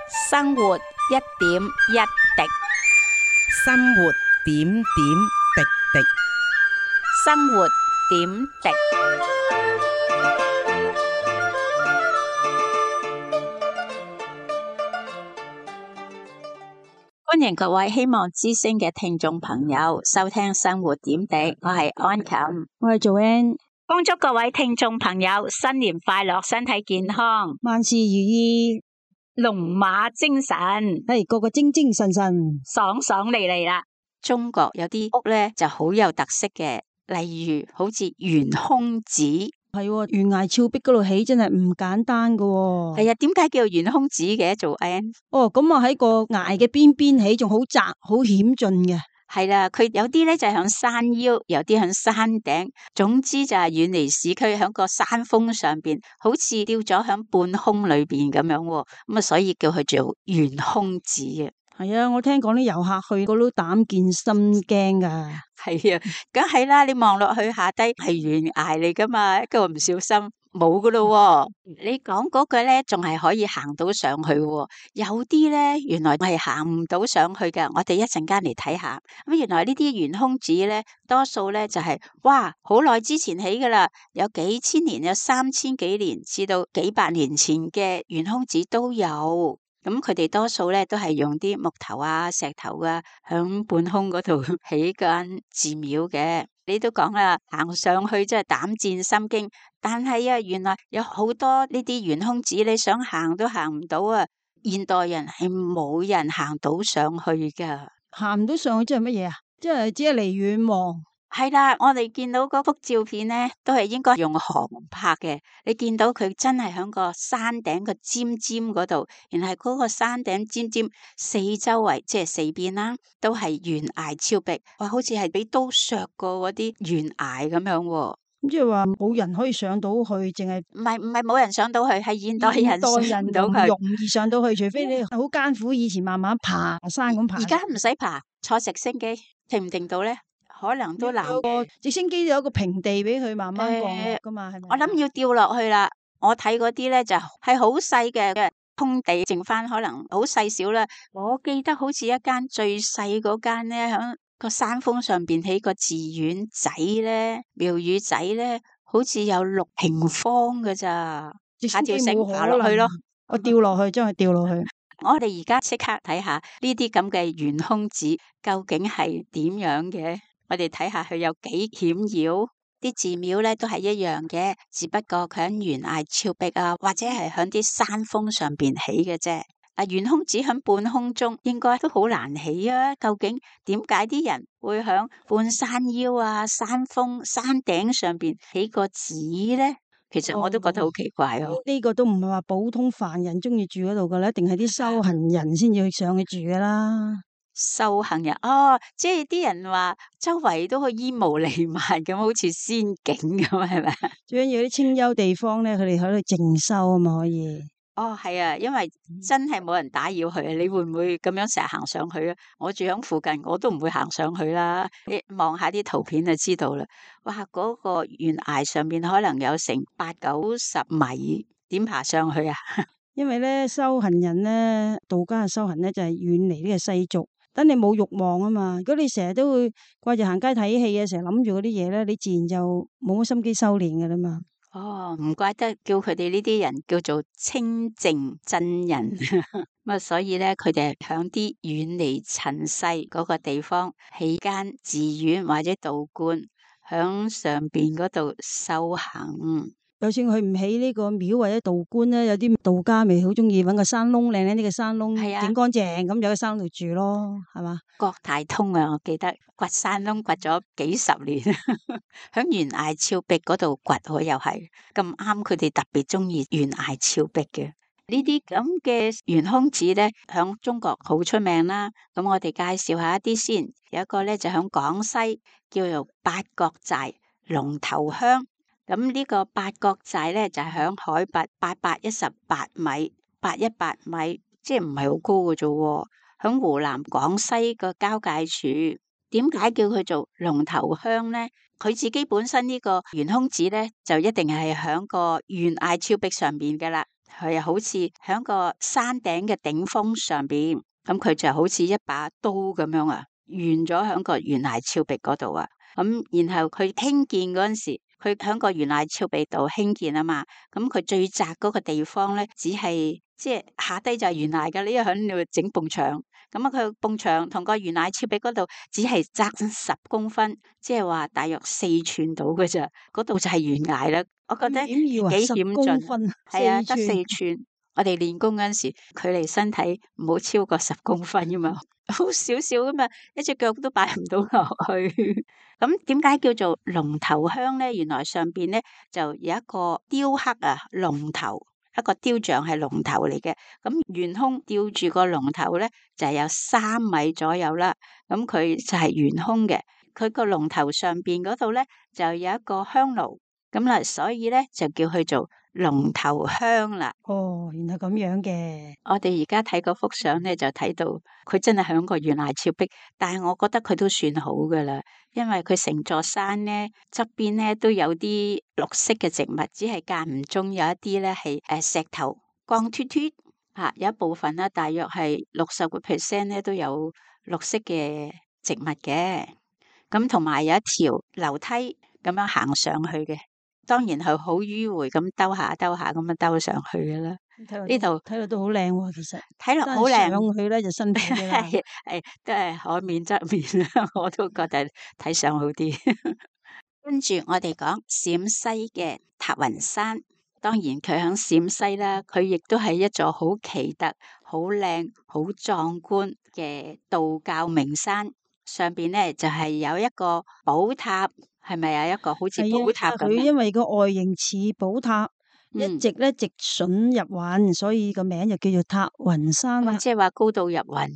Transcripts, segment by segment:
生活一點一滴，生活點點滴滴。生活點滴。歡迎各位希望之聲嘅聽眾朋友收聽生活點滴，我係安琴，我係Joanne，恭祝各位聽眾朋友新年快樂，身體健康，萬事如意，龍馬精神，個個精精神神，爽爽利利啦。中國有啲屋咧就好有特色嘅，例如好似懸空子，係懸崖峭壁嗰度起真係唔簡單噶。係啊，點解叫懸空子嘅？做 N 咁啊喺個崖嘅邊邊起，仲好窄好險峻嘅。係啦，佢有啲咧就響山腰，有啲響山頂，總之就係遠離市區，響個山峰上邊，好似吊咗響半空裏邊咁樣。咁啊，所以叫佢做懸空子啊。係啊，我聽講啲遊客去，個都膽戰心驚噶。係啊，梗係啦，你望落去下低係懸崖嚟噶嘛，一個唔小心冇噶咯。你講嗰句咧，仲係可以行到上去。有啲咧，原來係行唔到上去嘅。我哋一陣間嚟睇下。咁原來呢啲懸空子咧，多數咧就係哇，好耐之前起噶啦，有幾千年，有3000幾年至到幾百年前嘅懸空子都有。咁佢哋多數咧都係用啲木頭啊、石頭啊，響半空嗰度起間寺廟嘅。你都講啦，行上去真係膽戰心驚。但係啊，原來有好多呢啲懸空子，你想行都行唔到啊！現代人係冇人行到上去噶，行唔到上去即係乜嘢啊？即係只係離遠望。係啦，我哋見到嗰幅照片咧，都係應該用航拍嘅。你見到佢真係喺個山頂個尖尖嗰度，然後嗰個山頂尖尖四周圍即係四邊啦，都係懸崖峭壁，哇，好似係俾刀削過嗰啲懸崖咁樣。咁即係話冇人可以上到去，淨係唔係冇人上到去，係現代人上到去，容易上到去，除非你好艱苦，以前慢慢爬山咁爬。而家唔使爬，坐直升機停唔停到咧？可能都難。有個直升機有一個平地俾佢慢慢降落噶嘛，係咪？我諗要掉落去啦。我睇嗰啲咧就係好細嘅空地，剩翻可能好細小啦。我記得好似一間最細嗰間咧，響個山峰上邊起個寺院仔咧、廟宇仔咧，好似有6平方㗎咋。下條繩爬落去咯，我掉落去，將佢掉落去。我哋而家即刻睇下呢啲咁嘅懸空子究竟係點樣嘅。我哋睇下佢有幾險要，啲寺廟咧都係一樣嘅，只不過佢喺懸崖峭壁啊，或者係喺啲山峰上邊起嘅啫。懸空子喺半空中應該都好難起啊！究竟點解啲人會喺半山腰啊、山峰、山頂上邊起個寺咧？其實我都覺得好奇怪哦。呢個都唔係話普通凡人中意住嗰度噶啦，一定係啲修行人先至去上去住噶啦。修行人即係啲人話周圍都可以煙霧彌漫咁，好似仙境咁，係咪？最緊要啲清幽地方咧，佢哋喺度靜修啊嘛，可以。係啊，因為真係冇人打擾佢啊。你會唔會咁樣成日行上去啊？我住喺附近，我都唔會行上去啦。你望下啲圖片就知道啦。哇，嗰個懸崖上面可能有成80-90米，點爬上去啊？因為咧修行人咧，道家嘅修行咧就係遠離呢個世俗。等你冇慾望啊嘛，如果你成日都會掛住行街睇戲啊，成日諗住嗰啲嘢咧，你自然就冇乜心機修煉噶啦嘛。唔怪得叫佢哋呢啲人叫做清淨真人。咁所以咧，佢哋係響啲遠離塵世嗰個地方起間寺院或者道觀，響上邊嗰度修行。就算佢唔起呢個廟或者道觀咧，有啲道家咪好中意搵個山窿，靚靚呢個山窿，整乾淨咁，有個山度住咯，係嘛？國泰通啊，我記得掘山窿掘咗幾十年，響懸崖峭壁嗰度掘，我又係咁啱，佢哋特別中意懸崖峭壁嘅呢啲咁嘅懸空子咧，響中國好出名啦。咁我哋介紹下一啲先，有一個咧就響廣西叫做八角寨龍頭鄉。咁呢個八角寨咧就係響海拔818米，818米，即係唔係好高嘅啫。響湖南廣西個交界處，點解叫佢做龍頭鄉咧？佢自己本身呢個懸空子咧，就一定係響個懸崖峭壁上邊噶啦。佢好似喺個山頂嘅頂峰上邊，咁佢就好似一把刀咁樣啊，懸咗喺個懸崖峭壁嗰度啊。咁然後佢興建嗰陣時，佢喺個懸崖峭壁度興建啊嘛。咁佢最窄嗰個地方咧，只係即係下低就係懸崖噶，你喺度整埲牆。咁啊，佢埲牆同個懸崖峭壁嗰度只係窄10公分，即係話大約4寸到嘅咋。嗰度就係懸崖啦。我覺得幾要啊險10公峻，分，係啊，得4寸4寸。我哋練功嗰陣時，距離身體唔好超過10公分噶嘛，好少少噶嘛，一隻腳都擺唔到落去。咁點解叫做龍頭香咧？原來上邊咧就有一個雕刻啊，龍頭一個雕像係龍頭嚟嘅。咁懸空吊住個龍頭咧，就係有3米左右啦。咁佢就係懸空嘅。佢個龍頭上邊嗰度咧就有一個香爐，咁啦，所以咧就叫佢做龍頭香啦。哦，原來咁樣嘅。我哋而家睇嗰幅相咧，就睇到佢真係響個懸崖峭壁，但係我覺得佢都算好噶啦，因為佢成座山咧側邊咧都有啲綠色嘅植物，只係間唔中有一啲咧係石頭光脫脫吓，有一部分咧大約係60%咧都有綠色嘅植物嘅，咁同埋有一條樓梯咁樣行上去嘅。當然係好迂回咁兜下兜下咁樣兜上去嘅啦。呢度睇落都好靚喎，其實睇落好靚，上去咧就辛苦啲啦。係都係可免則免啦，我都覺得睇相好啲。跟住我哋講陝西嘅塔雲山，當然佢喺陝西啦，佢亦都係一座好奇特、好靚、好壯觀嘅道教名山。上邊咧就係有一個寶塔。係咪有一個好似寶塔咁？佢因為個外形似寶塔，一直咧直筍入雲，所以個名就叫做塔雲山啦。即係話高度入雲，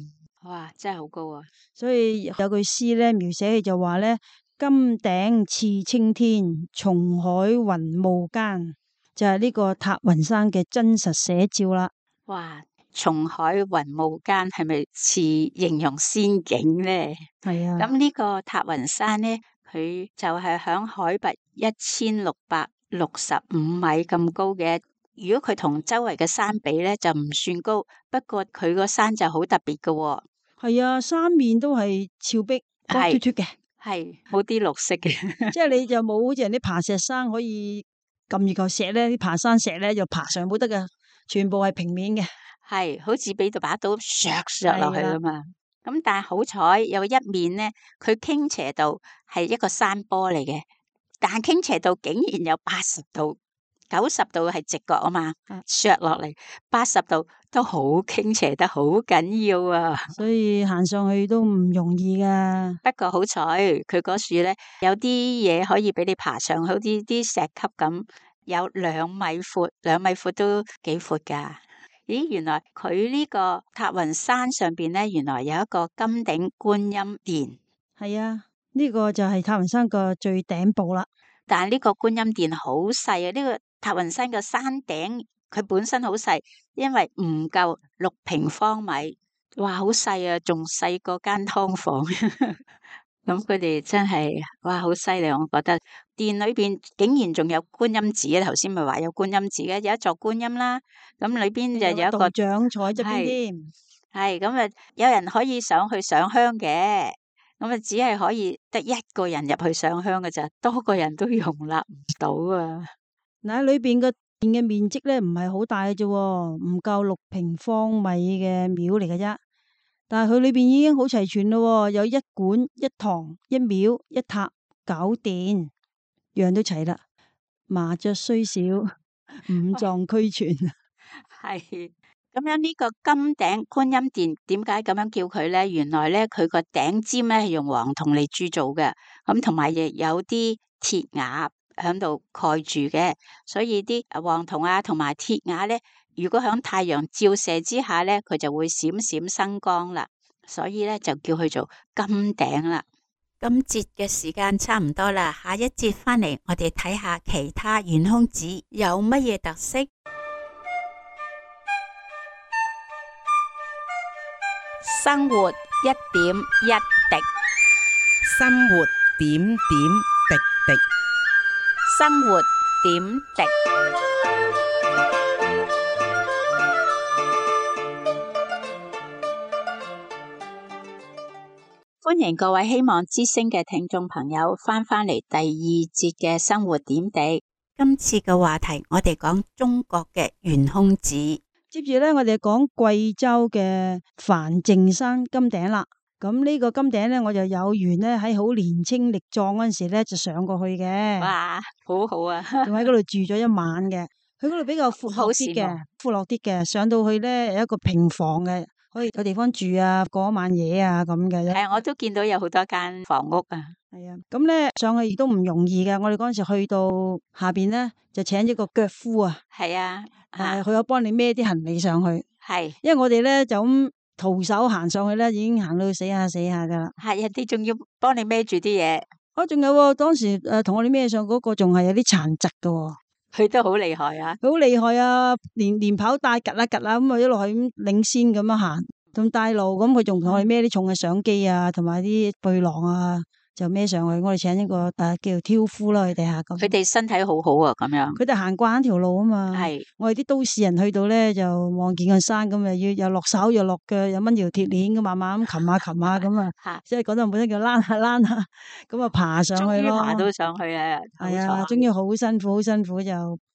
哇，真係好高啊！所以有句詩咧描寫佢就話咧：金頂似青天，松海雲霧間，就係呢個塔雲山嘅真實寫照啦。哇！松海雲霧間係咪似形容仙境咧？係啊。咁呢個塔雲山咧？佢就係響海拔1665米咁高嘅。如果佢同周圍嘅山比咧，就唔算高。不過佢個山就好特別嘅喎。係啊，三面都係峭壁，光脫脫嘅，係冇啲綠色嘅。即係你就冇好似人啲爬石山可以撳住嚿石咧，啲爬山石咧就爬上冇得嘅，全部係平面嘅。係好似俾到把刀削落去啊嘛。咁但係好彩有一面咧，佢傾斜度係一個山坡嚟嘅，但係傾斜度竟然有80度，90度係直角啊嘛，削落嚟80度都好傾斜得好緊要啊！所以行上去都唔容易噶。不過好彩佢嗰樹咧有啲嘢可以俾你爬上，好似啲石級咁，有2米闊，2米闊都幾闊噶。咦，原來佢呢個塔雲山上邊咧，原來有一個金頂觀音殿。係啊，呢個就係塔雲山個最頂部啦。但係呢個觀音殿好細啊！呢個塔雲山個山頂佢本身好細，因為唔夠6平方米，哇，好細啊，仲細過間劏房。咁佢哋真係哇，好犀利！我覺得殿裏邊竟然仲有觀音寺啊！頭先咪話有觀音寺嘅，有一座觀音啦。咁裏邊就有一個道長坐喺側邊添。係咁啊，有人可以上去上香嘅。咁啊，只係可以得1個人入去上香嘅咋，多個人都容納唔到啊！嗱，喺裏邊個殿嘅面積咧唔係好大嘅啫，唔夠6平方米嘅廟嚟嘅啫。但係佢裏邊已經好齊全咯，有1館、1堂、1廟、1塔、9殿，樣都齊啦。麻雀雖小，五臟俱全。係咁樣，呢個金頂觀音殿點解咁樣叫佢咧？原來咧佢個頂尖咧係用黃銅嚟鑄造嘅，咁同埋亦有啲鐵瓦喺度蓋住嘅，所以啲黃銅啊同埋鐵瓦咧，如果響太陽照射之下咧，佢就會閃閃生光啦，所以咧就叫佢做金頂啦。今節嘅時間差唔多啦，下一節翻嚟我哋睇下其他懸空寺有乜嘢特色。生活一點一滴，生活點點滴滴，生活點滴。歡迎各位希望之聲嘅聽眾朋友翻嚟第二節嘅生活點滴。今次嘅話題，我哋講中國嘅懸空寺。接住咧，我哋講貴州嘅梵淨山金頂啦。咁呢個金頂咧，我就有緣咧喺好年青力壯嗰陣時咧就上過去嘅。哇，好好啊！仲喺嗰度住咗一晚嘅。佢嗰度比較闊落啲嘅，闊落啲嘅。上到去咧有一個平房嘅，可以有地方住啊，過一晚夜啊咁嘅。係，我都見到有好多間房屋啊。係啊，咁咧上去亦都唔容易嘅。我哋嗰陣時去到下邊咧，就請咗個腳夫啊。係啊，佢有幫你孭啲行李上去。係，因為我哋咧就咁徒手行上去咧，已經行到死下死下噶啦。係，人哋仲要幫你孭住啲嘢。仲有喎，當時同我哋孭上嗰個仲係有啲殘疾噶。佢都好厲害啊！好厲害啊！連跑帶趌啦趌啦咁啊，一路係咁領先咁樣行，仲帶路咁，佢仲同我哋孭啲重嘅相機啊，同埋啲背囊啊，就孭上去。我哋請一個叫做挑夫啦，佢哋吓咁。佢哋身體好好啊，咁樣。佢哋行慣條路啊嘛。係。我哋啲都市人去到咧，就望見個山咁啊，又落手又落腳，又掹條鐵鏈咁，慢慢咁擒下擒下咁啊。即係講得本身叫躝下躝下，咁啊爬上去咯。終於爬到上去啊！係啊，終於好辛苦，好辛苦就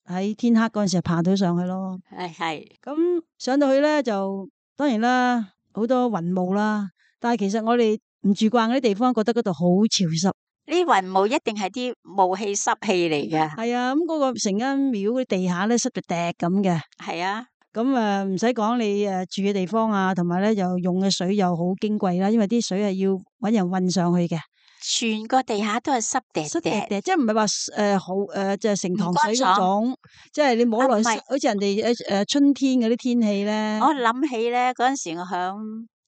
喺天黑嗰陣時爬到上去咯。係。咁上到去咧，就當然啦，好多雲霧啦。但係其實我哋唔住慣嗰啲地方，覺得嗰度好潮濕。呢雲霧一定係啲霧氣濕氣嚟嘅。係啊，咁嗰個成間廟嗰啲地下咧濕到滴咁嘅。係啊。咁唔使講你住嘅地方啊，同埋咧又用嘅水又好矜貴啦，因為啲水係要搵人運上去嘅。全個地下都係濕滴滴，即係唔係話好即係盛唐水嗰種，即係你摸落去，好似人哋春天嗰啲天氣咧。我諗起咧嗰陣時，我響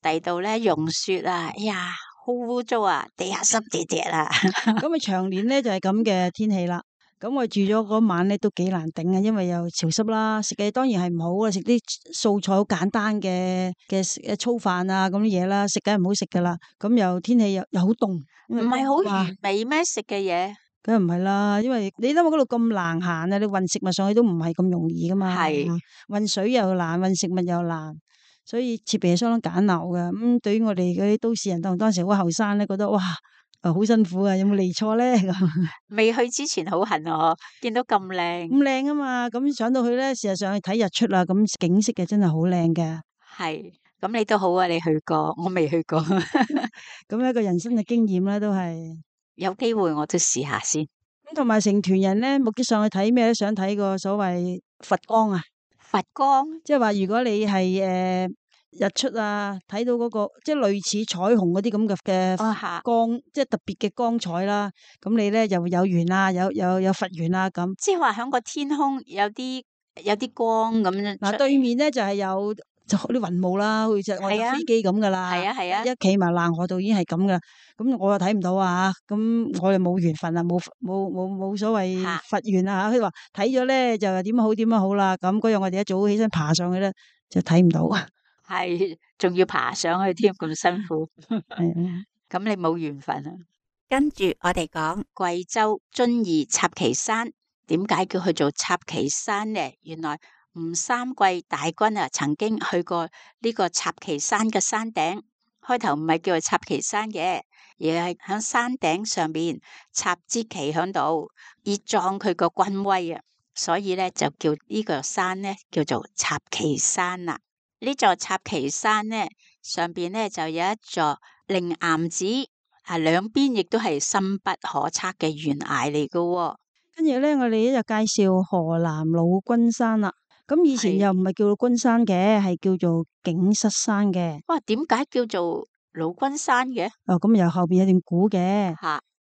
第度咧融雪啊，哎呀好污糟啊，地下濕滴滴啊。咁啊長年咧就係咁嘅天氣啦。咁我住咗嗰晚咧都幾難頂啊，因為又潮濕啦，食嘅當然係唔好啊，食啲素菜好簡單嘅粗飯啊咁啲嘢啦，食梗係唔好食噶啦。咁又天氣又好凍，唔係好完美咩食嘅嘢？梗係唔係啦，因為你諗下嗰度咁難行啊，你運食物上去都唔係咁容易噶嘛。係運水又難，運食物又難，所以設備係相當簡陋嘅。咁對於我哋嗰啲都市人，當時好後生咧，覺得哇〜好辛苦啊！有冇嚟錯咧？未去之前好痕啊！見到咁靚，咁靚啊嘛！咁上到去咧，事實上去睇日出啦，咁景色嘅真係好靚嘅。係，咁你都好啊！你去過，我未去過。咁一個人生嘅經驗咧，都係有機會我都試下先。咁同埋成團人咧，目的上去睇咩咧？想睇個所謂佛光啊！佛光，即係話如果你係日出啊，睇到嗰個即係類似彩虹嗰啲咁嘅光，即係特別嘅光彩啦。咁你咧就有緣啊，有佛緣啊咁。即係話響個天空有啲光咁樣。嗱，對面咧就係有就啲雲霧啦，好似我哋飛機咁噶啦。係啊係啊，一企埋爛河度已經係咁噶啦。咁我又睇唔到啊，咁我又冇緣分啊，冇所謂佛緣啊。佢話睇咗咧就點樣好啦。咁嗰日我哋一早起身爬上去咧，就睇唔到。係，仲要爬上去添，咁辛苦。咁你冇緣分啊。跟住我哋講貴州遵義插旗山，點解叫佢做插旗山呢？原來吳三桂大軍啊，曾經去過呢個插旗山嘅山頂。開頭唔係叫做插旗山嘅，而係喺山頂上邊插支旗喺度，以壯佢個軍威啊。所以咧就叫呢個山咧叫做插旗山啦。呢座插旗山呢，上邊呢就有一座靈岩寺，兩邊亦都係深不可測嘅懸崖嚟嘅。跟住咧，我哋就介紹河南老君山啦。咁以前又唔係叫君山嘅，係叫做景瑟山嘅。哇，點解叫做老君山嘅？咁由後邊有段古嘅。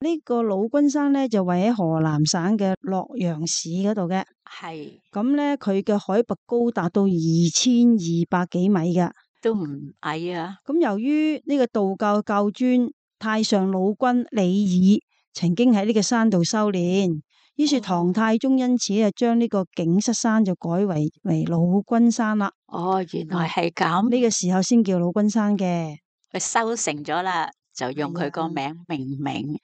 呢個老君山咧就位喺河南省嘅洛陽市嗰度嘅。係。咁咧，佢嘅海拔高達到2200幾米嘅，都唔矮啊。咁由於呢個道教教尊太上老君李耳曾經喺呢個山度修煉，於是唐太宗因此啊將呢個景瑟山就改為老君山啦。哦，原來係咁。呢個時候先叫老君山嘅。佢修成咗啦，就用佢個名命名。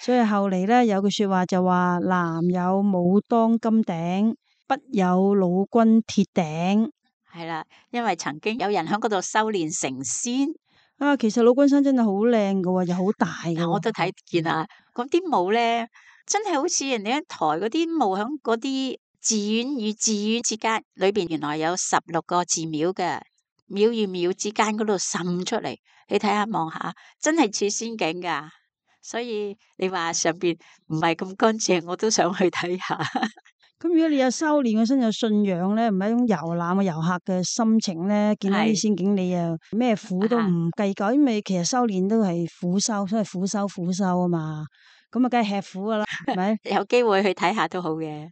所以後嚟咧有句說話就話：南有武當金頂，北有老君鐵頂。係啦，因為曾經有人喺嗰度修煉成仙。啊，其實老君山真係好靚噶喎，又好大噶嗱，我都睇見啊，嗰啲墓咧，真係好似人哋一台嗰啲墓響嗰啲寺院與寺院之間，裏邊原來有16個寺廟嘅，廟與廟之間嗰度滲出嚟，你睇下望下，真係似仙境噶。所以你話上邊唔係咁乾淨，我都想去睇下。咁如果你有修煉，個身有信仰咧，唔係一種遊覽嘅遊客嘅心情咧，見到啲係仙境，你又咩苦都唔計較，因為其實修煉都係苦修，所謂苦修啊嘛。咁啊，梗係吃苦噶啦，係咪？有機會去睇下都好嘅。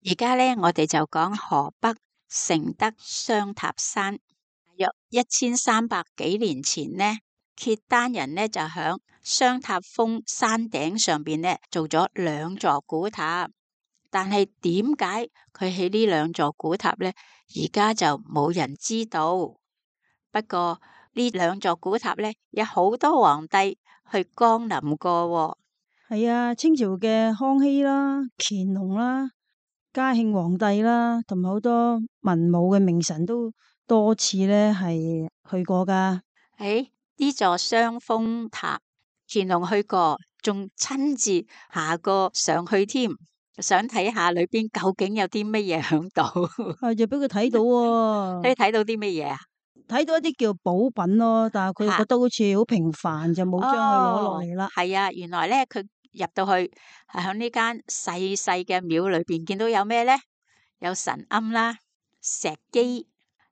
而家咧，我哋就講河北承德雙塔山。約1300幾年前呢，契丹人呢就響雙塔峰山頂上邊呢做咗2座古塔。但係點解佢起呢2座古塔呢？而家就冇人知道。不過呢2座古塔呢，有好多皇帝去光臨過喎。係啊，清朝嘅康熙啦、乾隆啦、嘉慶皇帝啦，同埋好多文武嘅名臣都多次咧係去過噶。誒，呢座雙峰塔，乾隆去過，仲親自下過上去添，想睇下裏邊究竟有啲乜嘢響度。啊，就俾佢睇到喎、你睇到啲乜嘢啊？睇到一啲叫寶品咯，但係佢覺得好似好平凡，就冇將佢攞落嚟啦。係啊，原來咧佢入到去係響呢間細細嘅廟裏邊，見到有咩咧？有神龕啦、石基、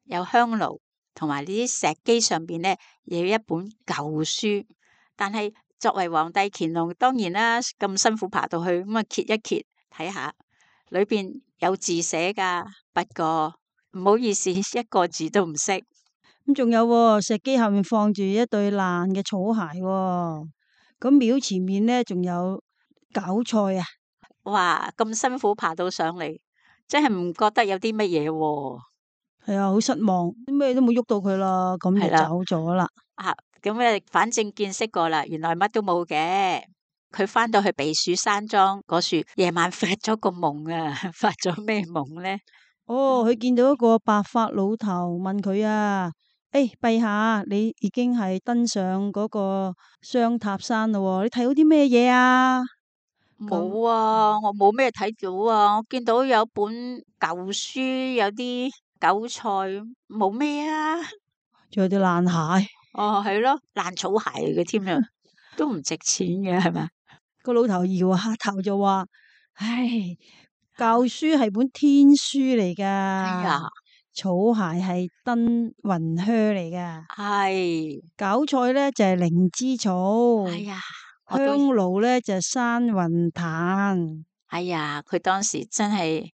有香爐，同埋呢啲石基上邊咧有一本舊書。但係作為皇帝乾隆，當然啦，咁辛苦爬到去，咁啊揭一揭睇下，裏邊有字寫噶，不過唔好意思，一個字都唔識。咁仲有喎，石基下面放住一對爛嘅草鞋喎。咁廟前面咧仲有韭菜啊。哇，咁辛苦爬到上嚟，真係唔覺得有啲乜嘢喎。係啊，好失望，咩都冇喐到佢啦，咁就係啦走咗啦。啊，咁咧，反正見識過啦，原來乜都冇嘅。佢翻到去避暑山莊嗰處，夜晚發咗個夢啊！發咗咩夢咧？哦，佢見到一個白髮老頭問佢啊，誒，陛下，你已經係登上嗰個雙塔山咯喎，你睇到啲咩嘢啊？冇啊，我冇咩睇到啊，我見到有本舊書，有啲韭菜，冇咩啊。仲有啲爛鞋。哦，係咯，爛草鞋嚟嘅添啊，都唔值錢嘅，係咪？個老頭搖下頭就話：唉，舊書係本天書嚟噶，哎呀，草鞋係登雲靴嚟噶，係，韭菜咧就係靈芝草，哎呀，我香都，爐咧就係山雲炭。哎呀，佢當時真係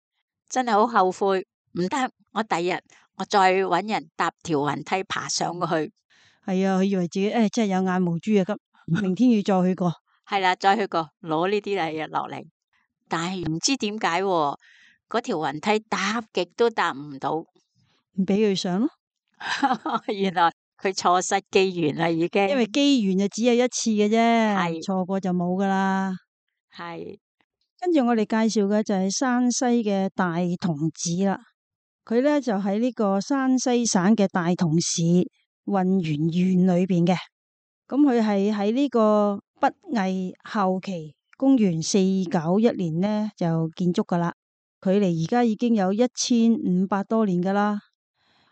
好後悔，唔得，我第日我再搵人搭條雲梯爬上去。係啊，佢以為自己真係有眼無珠啊！咁明天要再去過。係啦，再去過攞呢啲嚟落嚟，但係唔知點解嗰條雲梯搭極都搭唔到，唔俾佢上咯，原來佢錯失機緣啦，已經。因為機緣就只有一次嘅啫，係錯過就冇噶啦。係跟住我哋介紹嘅就係山西嘅大同寺啦，佢咧就喺呢個山西省嘅大同市混元縣裏邊嘅。咁佢係喺呢個北魏後期，公元491年呢就建築噶啦，距離而家已經有1500多年噶啦。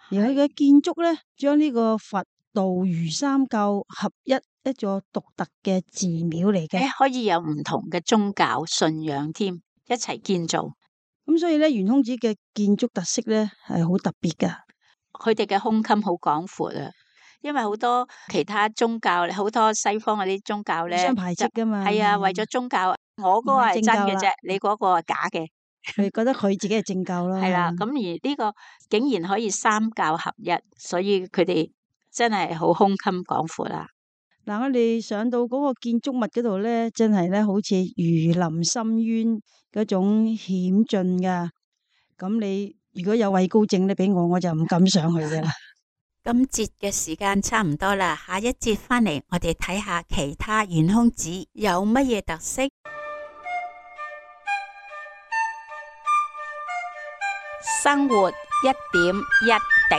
而佢嘅建築咧，將呢個佛道儒三教合一座獨特嘅寺廟嚟嘅。可以有唔同嘅宗教信仰添，一齊建造。咁所以咧，圓空寺嘅建築特色咧係好特別噶。佢哋嘅胸襟好廣闊啊，因為好多其他宗教，好多西方嗰啲宗教咧，互相排斥噶嘛。係啊，為咗宗教，我嗰個係真嘅啫，你嗰個係假嘅。佢覺得佢自己係正教咯。係啦，咁而呢個竟然可以三教合一，所以佢哋真係好胸襟廣闊啦。嗱，我哋上到嗰個建築物嗰度咧，真係咧好似如臨深淵嗰種險峻噶。咁你如果有畏高症咧，俾我就唔敢上去噶啦。今節嘅時間差唔多啦，下一節翻嚟我哋睇下其他圓空寺有乜嘢特色。生活一點一滴，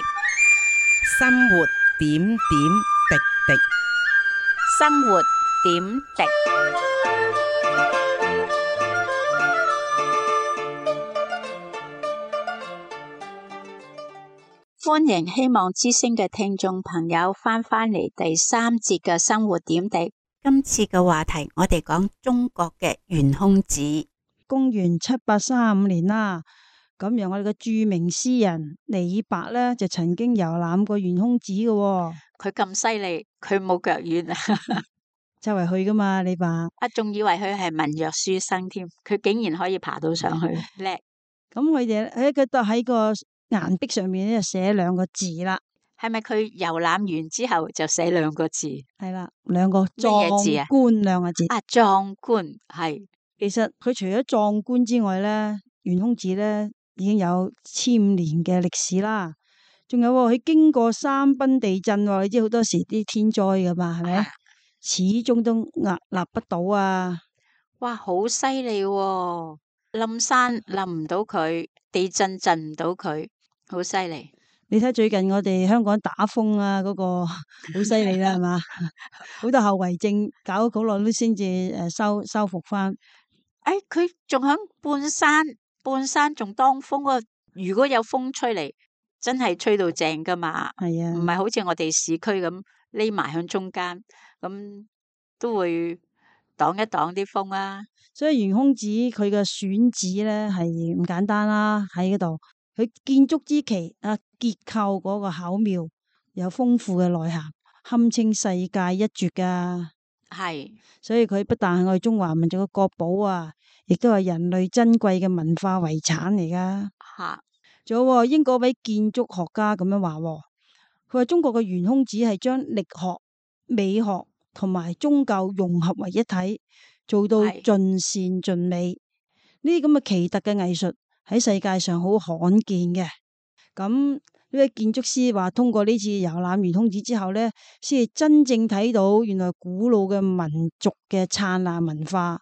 生活點點滴滴。滴。生活點滴。歡迎希望之聲嘅聽眾朋友翻嚟第3節嘅生活點滴。今次嘅話題，我哋講中國嘅懸空子。公元735年啦，咁樣我哋嘅著名詩人李白咧，就曾經遊覽過懸空子嘅喎。佢咁犀利，佢冇腳軟啊！周圍去噶嘛，李白。仲以為佢係文弱書生添，佢竟然可以爬到上去，叻！咁佢哋佢都喺個岩壁上面咧寫2個字啦。係咪佢遊覽完之後就寫2個字？係啦，2個乜嘢字啊？壯觀2個字。壯觀係。其實佢除咗壯觀之外咧，懸空子咧已經有1000年嘅歷史啦。仲有佢經過3賓地震，你知好多時啲天災噶嘛，係咪？始終都屹立不倒啊！哇，好犀利喎！冧山冧唔到佢，地震震唔到佢，好犀利。你睇最近我哋香港打風啊，嗰個好犀利啦，係嘛？好多後遺症，搞咗好耐都先至修復翻。佢仲響半山仲當風啊！如果有風吹嚟，真係吹到正噶嘛。係啊，唔係好似我哋市區咁匿埋響中間，咁都會擋一擋啲風啊。所以懸空子佢嘅選址咧係唔簡單啦，喺嗰度佢建築之奇啊，結構嗰個巧妙，有豐富嘅內涵，堪稱世界一絕噶。係，所以佢不但係我哋中華民族嘅國寶啊，亦都係人類珍貴嘅文化遺產嚟噶。吓，仲有英國位建築學家咁樣話，佢話中國嘅懸空子係將力學、美學同埋宗教融合為一體，做到盡善盡美。呢啲咁嘅奇特嘅藝術喺世界上好罕見嘅。咁呢位建築師話，通過呢次遊覽懸空子之後呢，先至真正睇到原來古老嘅民族嘅燦爛文化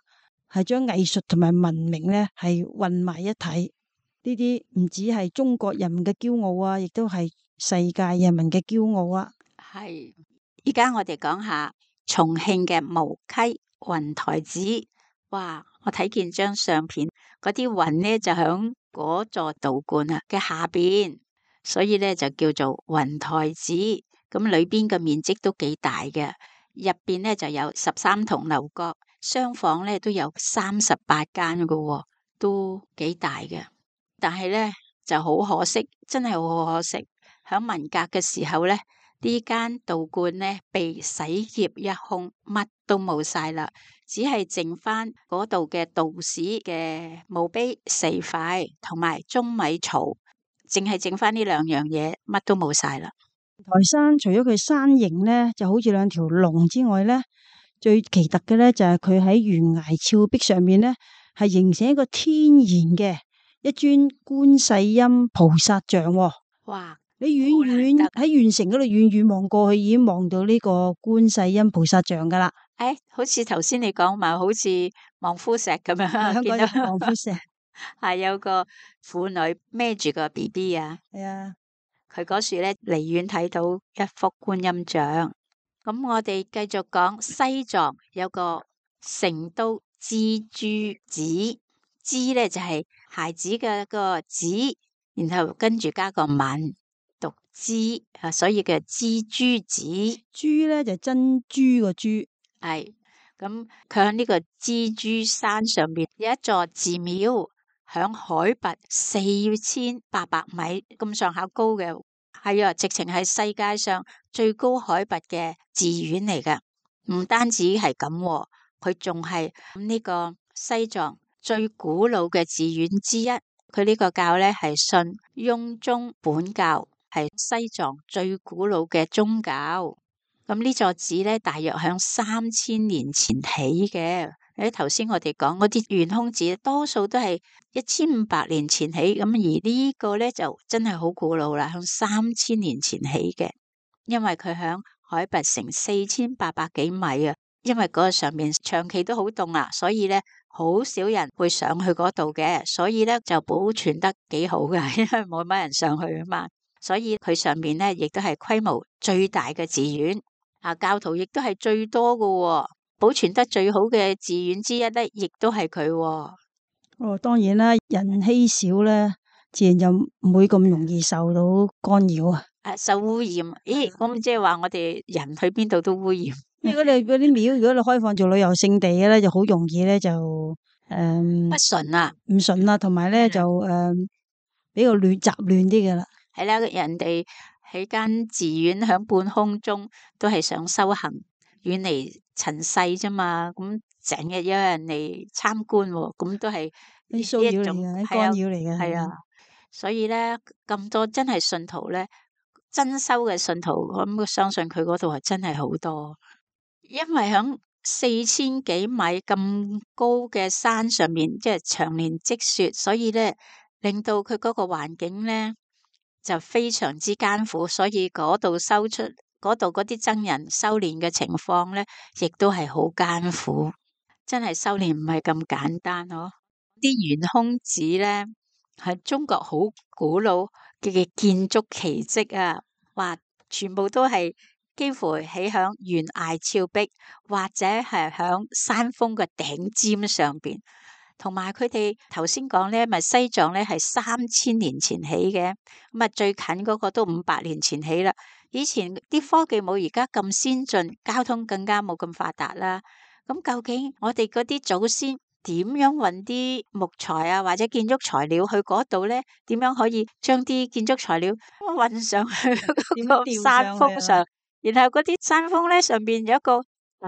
係將藝術同埋文明呢係混埋一體。呢啲唔止係中國人民嘅驕傲啊，亦都係世界人民嘅驕傲啊。係，依家我哋講下重慶嘅無稽雲台子。哇！我睇見張相片，嗰啲雲呢就響嗰座道觀啊嘅下邊，所以呢就叫做雲台子。咁裏邊嘅面積都幾大嘅，入邊呢就有13棟樓閣，廂房呢都有38間嘅，都幾大嘅。但係呢就好可惜，真係好可惜，響文革嘅時候呢，呢間道觀呢被洗劫一空，乜都冇晒啦，只係剩翻嗰度嘅道士嘅墓碑4塊，同埋舂米槽，淨係剩翻呢2樣嘢，乜都冇晒啦。台山除咗佢山形呢就好似2條龍之外呢，最奇特嘅呢就係佢喺懸崖峭壁上面呢，係形成一個天然嘅一尊觀世音菩薩像。哇！你遠遠喺縣城嗰度遠遠望過去，已經望到呢個觀世音菩薩像噶啦。好似頭先你講埋，好似望夫石咁樣，香港有望夫石，係有個婦女孭住個 BB 啊。係啊，佢嗰處咧離遠睇到一幅觀音像。咁我哋繼續講西藏有個成都蜘蛛子，蜘咧就係孩子嘅個子，然後跟住加個文。讀蜘啊，所以叫蜘蛛子。珠咧就珍珠個珠，係咁佢喺呢個蜘蛛山上邊有一座寺廟，響海拔4800米咁上下高嘅，係啊，直情係世界上最高海拔嘅寺院嚟㗎。唔單止係咁，佢仲係呢個西藏最古老嘅寺院之一。佢呢個教咧係信雍宗本教，係西藏最古老嘅宗教。咁呢座寺咧，大約響3000年前起嘅。頭先我哋講嗰啲懸空子，多數都係1500年前起。咁而呢個咧就真係好古老啦，響3000年前起嘅。因為佢響海拔成4800幾米啊。因為嗰個上面長期都好凍啦，所以咧好少人會上去嗰度嘅，所以咧就保存得幾好嘅，因為冇乜人上去啊嘛。所以佢上面咧亦都係規模最大嘅寺院。教徒亦都係最多嘅喎，保存得最好嘅寺院之一咧，亦都係佢喎。哦，當然啦，人稀少咧，自然就唔會咁容易受到干擾啊。受污染，咦？咁即係話我哋人去邊度都污染。如果你嗰啲廟，如果你開放做旅遊勝地嘅咧，就好容易咧就不純啊，唔順啦，同埋咧就比較雜亂啲嘅啦。係啦，人哋喺間寺院喺半空中都係想修行，遠離塵世啫嘛。咁成日有人嚟參觀喎，咁都係啲騷擾嚟嘅，啲干擾嚟嘅。係啊，所以咧咁多真係信徒咧，真修嘅信徒，咁我相信佢嗰度係真係好多，因為響4000幾米咁高嘅山上面，即係長年積雪，所以咧令到佢嗰個環境咧就非常之艱苦，所以嗰度嗰度嗰啲僧人修煉嘅情況咧，亦都係好艱苦，真係修煉唔係咁簡單咯。啲圓空寺咧係中國好古老嘅建築奇蹟啊！話全部都係幾乎起響懸崖峭壁，或者係響山峰嘅頂尖上邊。同埋佢哋頭先講咧，咪西藏咧係3000年前起嘅，咁啊最近嗰個都500年前起啦。以前啲科技冇而家咁先進，交通更加冇咁發達啦。咁究竟我哋嗰啲祖先點樣運啲木材啊，或者建築材料去嗰度咧？點樣可以將啲建築材料運上去嗰個山峰上？然後嗰啲山峰咧上邊有一個。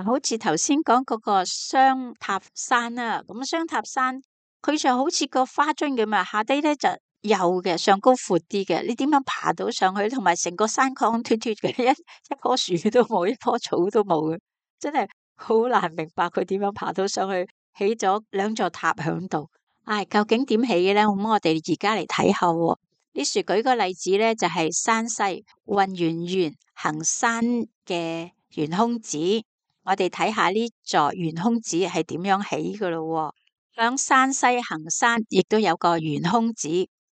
好似頭先講嗰個雙塔山啊，咁雙塔山佢就好似個花樽咁啊，下低咧就幼嘅，上高闊啲嘅。你點樣爬到上去？同埋成個山崗脫脫嘅，一棵樹都冇，一棵草都冇嘅，真係好難明白佢點樣爬到上去，起咗2座塔響度。唉，究竟點起嘅咧？咁我哋而家嚟睇下喎。呢樹舉個例子咧，就係山西混元縣衡山嘅圓空寺。我哋睇下呢座圓空寺係點樣起噶咯？響山西衡山亦都有個圓空寺，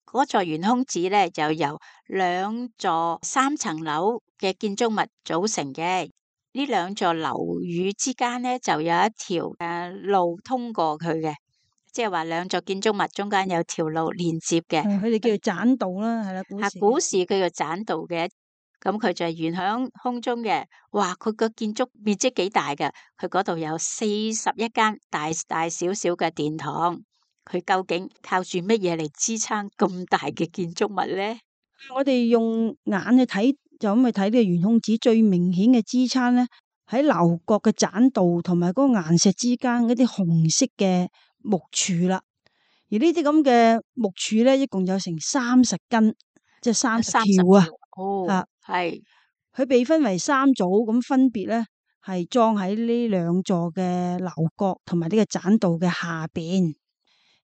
嗰座圓空寺咧就由2座3層樓嘅建築物組成嘅。呢2座樓宇之間咧就有一條路通過佢嘅，即係話2座建築物中間有條路連接嘅。佢哋叫做棧道啦，係啦，古時叫做棧道嘅。咁佢就係懸響空中嘅，哇！佢個建築面積幾大㗎？佢嗰度有41間大大小小嘅殿堂。佢究竟靠住乜嘢嚟支撐咁大嘅建築物咧？我哋用眼去睇，就咁去睇呢個圓空寺最明顯嘅支撐咧，喺樓閣嘅棧道同埋嗰個岩石之間嗰啲紅色嘅木柱啦。而呢啲咁嘅木柱咧，一共有成30根，即係30條啊。哦，係佢被分為3組，咁分別咧係裝喺呢2座嘅樓閣同埋呢個棧道嘅下邊。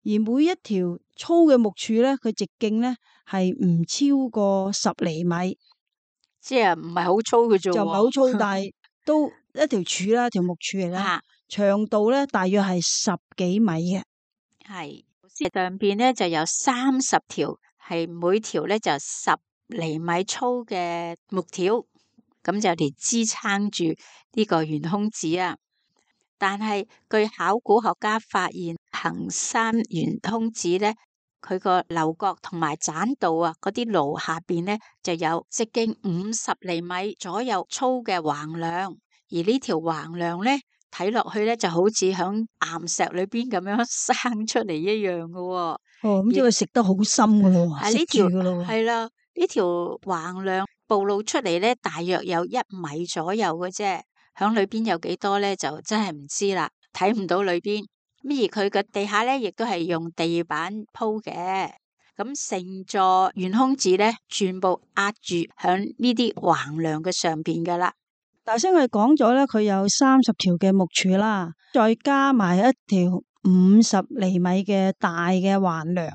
而每一條粗嘅木柱咧，佢直徑咧係唔超過10厘米，即係唔係好粗嘅啫，就唔係好粗，但係都一條柱啦，條木柱嚟啦。長度咧大約係10幾米嘅。係上邊咧就有30條，係每條咧就10厘米粗嘅木條，咁就嚟支撐住呢個圓空寺啊。但係據考古學家發現，衡山圓空寺咧，佢個樓閣同埋棧道啊，嗰啲爐下邊咧就有直徑50厘米左右粗嘅橫梁，而呢條橫梁咧睇落去咧就好似響岩石裏邊咁樣生出嚟一樣嘅。哦，咁即係食得好深噶咯，呢條係啦，呢條橫梁暴露出嚟咧，大約有1米左右嘅啫。響裏邊有幾多咧，就真係唔知啦，睇唔到裏邊。而佢嘅地下咧，亦都係用地板鋪嘅。咁成座圓空寺咧，全部壓住響呢啲橫梁嘅上邊噶啦。頭先我哋講咗咧，佢有30條嘅木柱啦，再加埋一條50厘米嘅大嘅橫梁，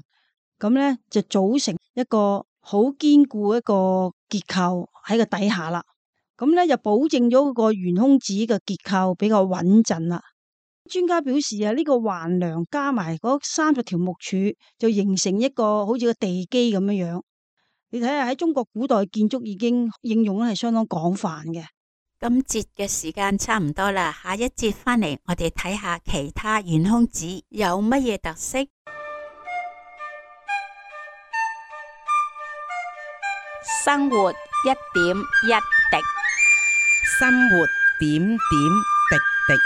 咁咧就組成一個好堅固一個結構喺個底下啦。咁咧就保證咗嗰個圓空寺嘅結構比較穩陣啦。專家表示啊，呢個橫梁加埋嗰30條木柱，就形成一個好似個地基咁樣樣。你睇下喺中國古代建築已經應用咧係相當廣泛嘅。今節嘅時間差唔多啦，下一節返嚟我哋睇下其他懸空子有乜嘢特色。生活一點一滴，生活點點滴滴。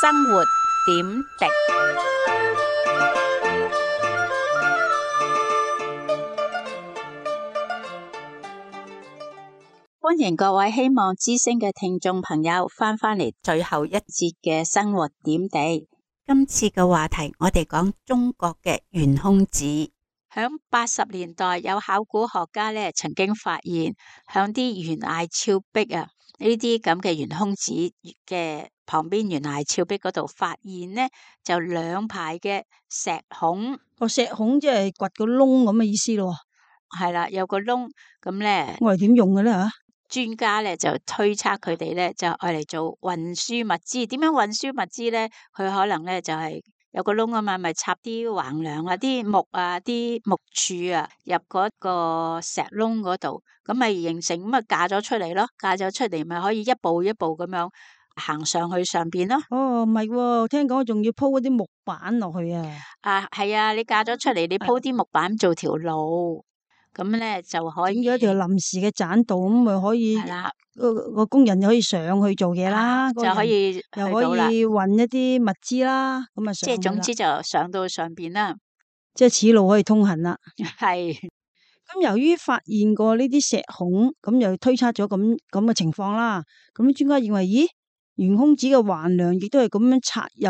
生活點滴。歡迎各位希望之聲嘅聽眾朋友返嚟最後一節嘅生活點滴。今次嘅話題我哋講中國嘅懸空子。響80年代有考古學家咧曾經發現，響啲懸崖峭壁啊呢啲咁嘅懸空子嘅旁邊懸崖峭壁嗰度發現呢，就兩排嘅石孔。個石孔即係掘個窿咁嘅意思咯。係啦，有個窿咁咧，我係點用嘅咧吓？專家咧就推測佢哋咧就愛嚟做運輸物資。點樣運輸物資咧？佢可能咧就係有個窿啊嘛，咪插啲橫梁啊、啲木啊、啲木柱啊入嗰個石窿嗰度，咁咪形成咁啊架咗出嚟咯。架咗出嚟咪可以一步一步咁樣行上去上邊咯。哦，唔係喎，聽講仲要鋪嗰啲木板落去啊。啊，係啊，你架咗出嚟，你鋪啲木板做條路。咁咧就可以整咗一條臨時嘅棧道，咁咪可以係啦，個工人就可以上去做嘢啦，就可以又可以運一啲物資啦，咁啊即係總之就上到上邊啦，即係此路可以通行啦。係咁由於發現過呢啲石孔，咁又推測咗咁嘅情況啦。咁專家認為，咦，懸空子嘅橫梁亦都係咁樣插入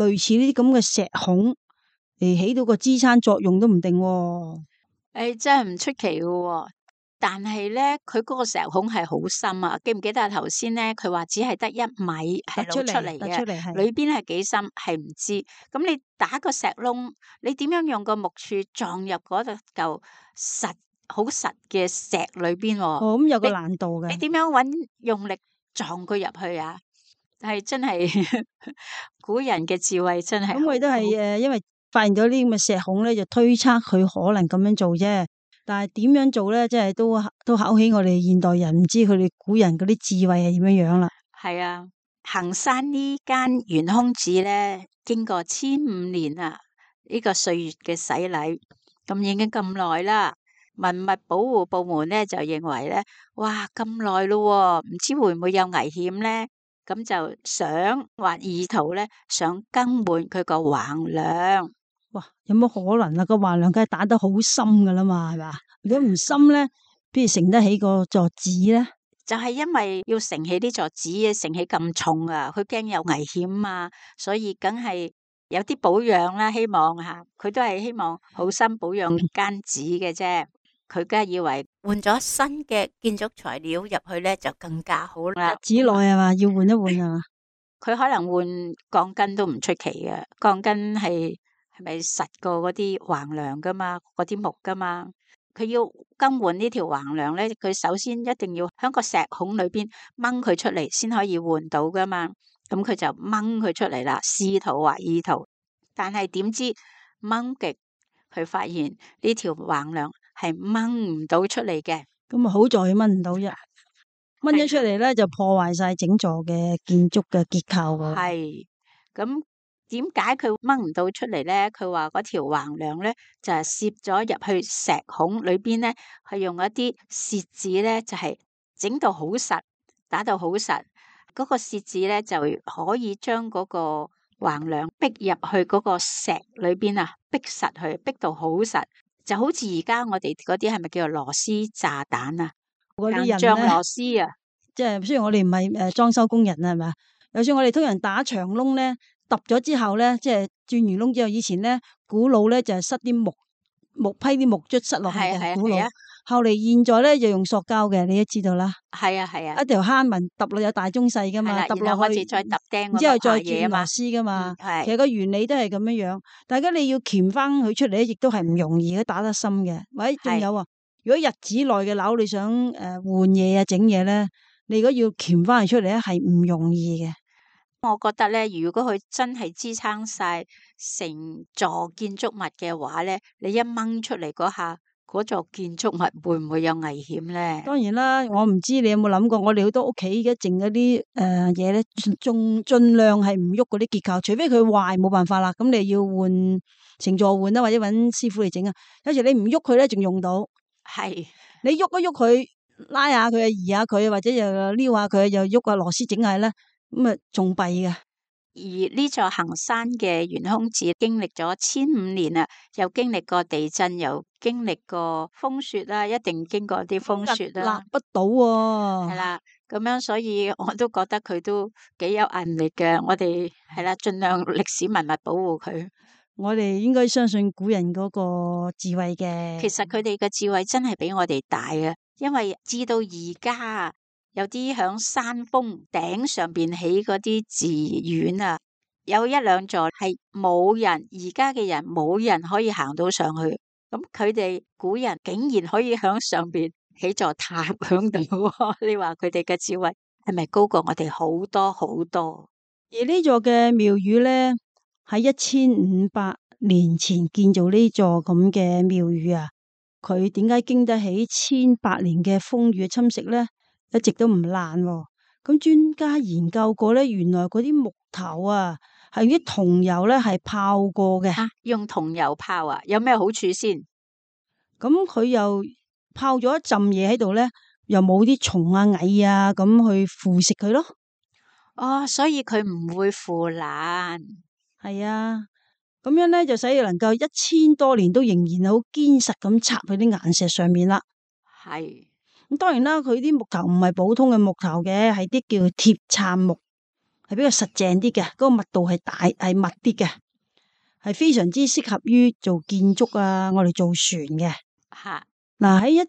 類似呢啲咁嘅石孔嚟起到個支撐作用都唔定喎。誒，真係唔出奇嘅喎，但係咧，佢嗰個石孔係好深啊！記唔記得頭先咧？佢話只係得1米係露出嚟嘅，裏邊係幾深係唔知。咁你打個石窿，你點樣用個木柱撞入嗰度嚿實好實嘅石裏邊？哦，咁有個難度嘅。你點樣用力撞佢入去啊？係真係古人嘅智慧真係。咁佢都係因為發現咗呢啲咁嘅石孔咧，就推測佢可能咁樣做啫。但係點樣做咧，即係都考起我哋現代人，唔知佢哋古人嗰啲智慧係點樣樣啦。係啊，衡山呢間懸空子咧，經過1500年啊，呢個歲月嘅洗禮，咁已經咁耐啦。文物保護部門咧就認為咧，哇咁耐咯，唔知會唔會有危險咧？咁就想或意圖咧，想更換佢個橫梁。哇，有乜可能啊？個橫梁梗係打得好深噶啦嘛，係嘛？如果唔深咧，邊如承得起個座子咧？就係因為要承起呢座子嘅，承起咁重啊，佢驚有危險啊，所以梗係有啲保養啦。希望吓，佢都係希望好心保養間子嘅啫。佢梗係以為換咗新嘅建築材料入去咧，就更加好啦。子內係嘛，要換一換係嘛？佢可能換鋼筋都唔出奇嘅，鋼筋係咪實過嗰啲橫梁噶嘛，嗰啲木噶嘛？佢要更換呢條橫梁咧，佢首先一定要喺個石孔裏邊掹佢出嚟，先可以換到噶嘛。咁佢就掹佢出嚟啦，試圖或意圖，但係點知掹極，佢發現呢條橫梁係掹唔到出嚟嘅。咁啊，好在掹唔到啫，掹咗出嚟咧就破壞晒整座嘅建築嘅結構噶。係咁。點解佢掹唔到出嚟咧？佢話嗰條橫梁咧就係攝咗入去石孔裏邊咧，係用一啲楔子咧，就係整到好實，打到好實。嗰個楔子咧就可以將嗰個橫梁逼入去嗰個石裏邊啊，逼實佢，逼到好實，就好似而家我哋嗰啲係咪叫做螺絲炸彈啊？嗰啲人硬仗螺絲啊，即係雖然我哋唔係裝修工人啊，係咪？就算我哋通常打長窿咧。揼咗之後咧，即係轉完窿之後，以前咧古老咧就係塞啲木批啲木卒塞落去嘅古老。後嚟現在咧就用塑膠嘅，你都知道啦。係啊係啊，一條坑紋揼落有大中細噶嘛，揼落去再揼釘，之後再轉螺絲噶嘛。其實個原理都係咁樣樣，大家你要鉗翻佢出嚟咧，亦都係唔容易嘅，打得深嘅。或者仲有啊，如果日子內嘅樓你想換嘢啊整嘢咧，你如果要鉗翻佢出嚟咧，係唔容易嘅。我覺得咧，如果佢真係支撐晒成座建築物嘅話咧，你一掹出嚟嗰下，嗰座建築物會唔會有危險咧？當然啦，我唔知你有冇諗過，我哋好多屋企嘅剩嗰啲嘢咧，仲盡量係唔喐嗰啲結構，除非佢壞冇辦法啦，咁你要換成座換啦，或者揾師傅嚟整啊。有時你唔喐佢咧，仲用到。係你喐一喐佢，拉下佢啊，移下佢，或者又撩下佢，又喐個螺絲整下咧，咁啊仲弊嘅。而呢座行山嘅懸空寺經歷咗1500年啦，又經歷過地震，又經歷過風雪啦，一定經過啲風雪立啦，不到喎。係啦，咁樣所以我都覺得佢都幾有毅力嘅。我哋係啦，盡量歷史文物保護佢。我哋應該相信古人嗰個智慧嘅。其實佢哋嘅智慧真係比我哋大嘅，因為至到而家有啲響山峰頂上邊起嗰啲寺院啊，有一兩座係冇人，而家嘅人冇人可以行到上去。咁佢哋古人竟然可以響上邊起座塔響度，你話佢哋嘅智慧係咪高過我哋好多好多？而呢座嘅廟宇咧，喺1500年前建造呢座咁嘅廟宇啊，佢點解經得起1800年嘅風雨嘅侵蝕咧？一直都唔爛喎。咁專家研究過咧，原來嗰啲木頭啊，係用啲桐油咧係泡過嘅。用桐油泡啊，有咩好處先？咁佢又泡咗一浸嘢喺度咧，又冇啲蟲啊蟻啊咁去腐蝕佢咯。哦，所以佢唔會腐爛。係啊，咁樣咧就使要能夠1000多年都仍然好堅實咁插喺啲岩石上面啦。係咁當然啦，佢啲木頭唔係普通嘅木頭嘅，係啲叫鐵杉木，係比較實淨啲嘅，嗰個密度係大係密啲嘅，係非常之適合於做建築啊，我哋做船嘅。吓，嗱，喺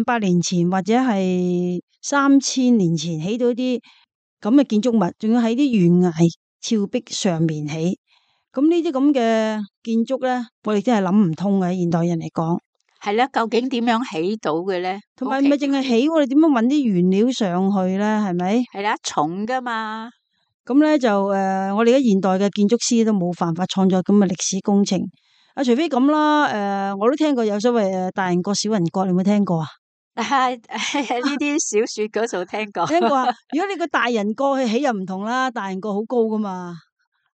1500年前或者係3000年前起到啲咁嘅建築物，仲要喺啲懸崖峭壁上面起，咁呢啲咁嘅建築咧，我哋真係諗唔通嘅，現代人嚟講。係啦，究竟點樣起到嘅咧？同埋唔係淨係起，我哋點樣搵啲原料上去咧？係咪？係啦，重噶嘛。咁咧就我哋而家現代嘅建築師都冇辦法創作咁嘅歷史工程。啊，除非咁啦，我都聽過有所謂大人國小人國，你有冇聽過啊？呢啲小說嗰度聽過。聽過啊？如果你個大人國去起又唔同啦，大人國好高噶嘛，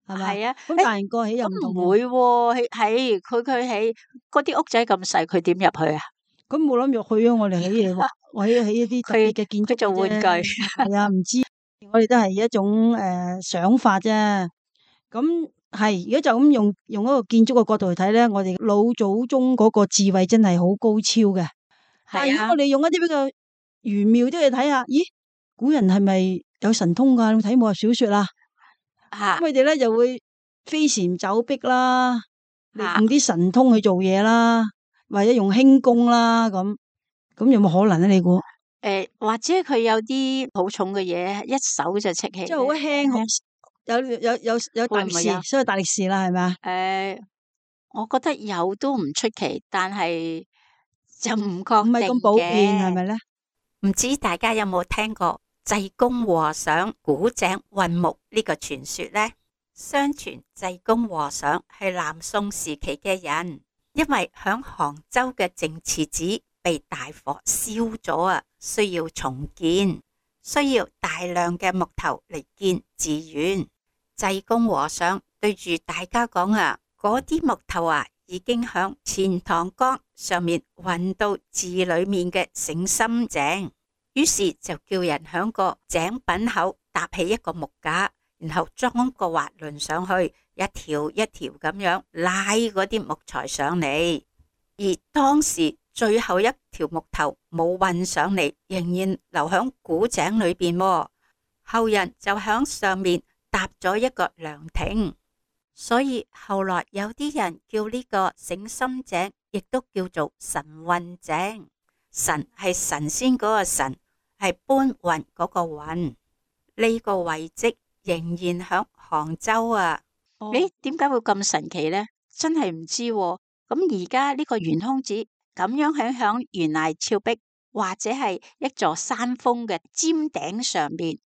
係咪？係啊，咁大人國起又唔同。唔會喎，係佢起嗰啲屋仔咁細，佢點入去啊？咁冇諗入去啊！我哋起嘢喎，我起一啲特別嘅建築做玩具。係啊，唔知我哋都係一種想法啫。咁係，如果就咁用一個建築嘅角度去睇咧，我哋老祖宗嗰個智慧真係好高超嘅。但係如果我哋用一啲比較玄妙啲去睇下，咦，古人係咪有神通噶？你睇武俠小說啦，咁佢哋咧就會飛檐走壁啦，用啲神通去做嘢啦，或者用輕功啦，咁有冇可能咧？你估？或者佢有啲好重嘅嘢，一手就戚起，即係好輕，有大力士，所以大力士啦，係咪啊？我覺得有都唔出奇，但係就唔確定嘅。唔係咁普遍，係咪咧？唔知大家有冇聽過濟公和尚古井運木呢個傳說呢？相傳濟公和尚係南宋時期嘅人，因為響杭州嘅淨慈寺被大火燒咗啊，需要重建，需要大量嘅木頭嚟建寺院。濟公和尚對住大家講啊，嗰啲木頭啊，已經響錢塘江上面運到寺裏面嘅醒心井，於是就叫人響個井品口搭起一個木架，然後裝個滑輪上去，一條一條咁樣拉嗰啲木材上嚟。而當時最後一條木頭冇運上嚟，仍然留響古井裏邊，後人就響上面搭咗一個涼亭，所以後來有啲人叫呢個醒心井，亦都叫做神運井。神係神仙嗰個神，係搬運嗰個運。呢個遺跡仍然響杭州啊！你點解會咁神奇呢？真係唔知喎。咁而家呢個懸空寺咁樣響懸崖峭壁，或者係一座山峰嘅尖頂上邊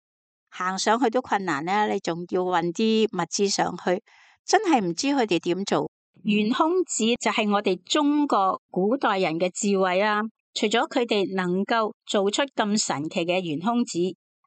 行上去都困難啦，你仲要運啲物資上去，真係唔知佢哋點做。懸空子就係我哋中國古代人嘅智慧啦。除咗佢哋能夠做出咁神奇嘅懸空子，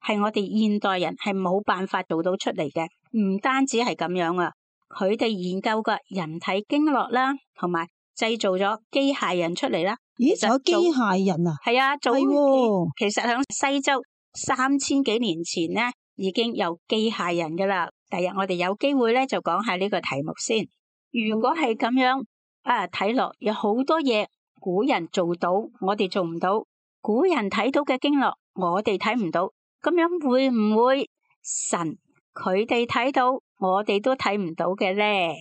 係我哋現代人係冇辦法做到出嚟嘅。唔單止係咁樣啊，佢哋研究嘅人體經絡啦，同埋製造咗機械人出嚟啦。咦，仲有機械人啊？係啊，係喎。其實喺西周3000幾年前咧，已經有機械人噶啦。第日我哋有機會咧就講下呢個題目先。如果係咁樣啊，睇落有好多嘢古人做到，我哋做唔到；古人睇到嘅經絡，我哋睇唔到。咁樣會唔會神佢哋睇到，我哋都睇唔到嘅咧？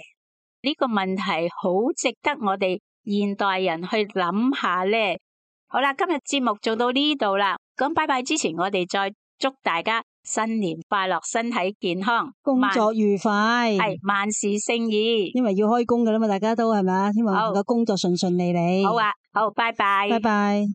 呢個問題好值得我哋現代人去諗下咧。好啦，今日節目做到呢度啦。咁拜拜之前，我哋再祝大家新年快樂，身體健康，工作愉快，係萬事勝意。因為要開工噶啦嘛，大家都係咪啊？希望能夠工作順順利利。好啊，好，拜拜，拜拜。